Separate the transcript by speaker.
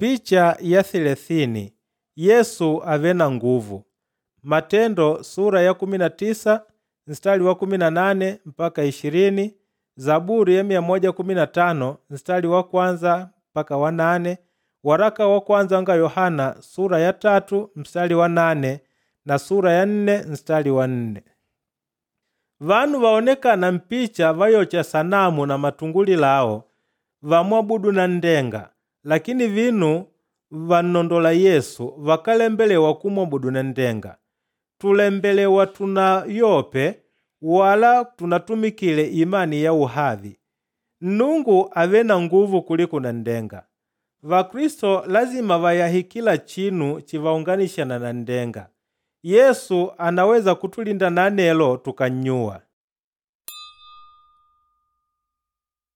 Speaker 1: Picha ya 30 Yesu ave na nguvu. Matendo sura ya 19 mstari wa 18 mpaka 20, Zaburi ya 115 mstari wa kwanza mpaka wa 8, waraka wa kwanza wanga Yohana sura ya 3 mstari wa 8 na sura ya 4 mstari wa 4. Vanu vaonekana mpicha vayocha sanamu na matunguli lao vamwabudu na ndenga, lakini vinu vannondola Yesu vakalembelewa kumwabudu na ndenga. Tulembelewa tunayope wala tunatumikile imani ya uhavi. Nnungu ave na nguvu kuliko na ndenga. Vakristo lazima vayahe kila chinu chivaunganishana na ndenga. Yesu anaweza kutulinda na anelo tukanyuwa.